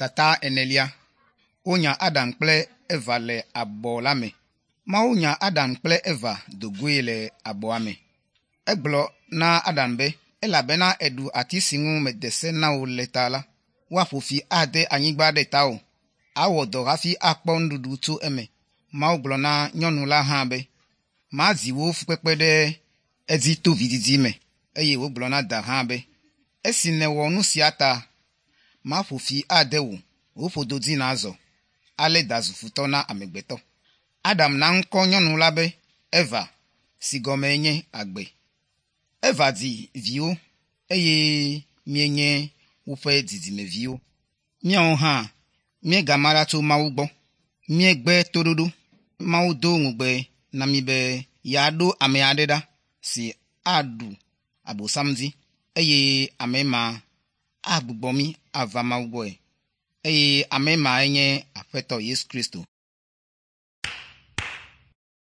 Tata enelia. Wonya Adam kple Eva le abɔ la me. Mawu nya Adam kple Eva do goe le abɔa me. Egblɔ na Adam be, elabena èɖu ati si ŋu mede se na wò le ta la, woaƒo fi ade anyigba ɖe tawò. Awɔ dɔ hafi akpɔ nuɖuɖu tso eme. Mawu gblɔ na nyɔnu la hã be, mazi wò fukpekpe ɖe edzi to vidzidzi me. Eye wògblɔ na da hã be, esi nèwɔ nu sia ta, maƒo fi ade wò, wò ƒodo dzi nàzɔ. Ale da zu futɔ na amegbetɔ. Adam na ŋkɔ nyɔnu la be Eva si gɔmee nye agbe. Eva dzi viwo eye míenye woƒe dzidzimeviwo. Míawo hã míegama ɖa tso Mawu gbɔ. Míegbe toɖoɖo. Mawu do ŋugbe na mí be yeaɖo ame aɖe ɖa si aɖu Abosam dzi eye ame ma agbugbɔ mí ava Mawu gbɔe. Eye ame mae nye Aƒetɔ Yesu Kristo.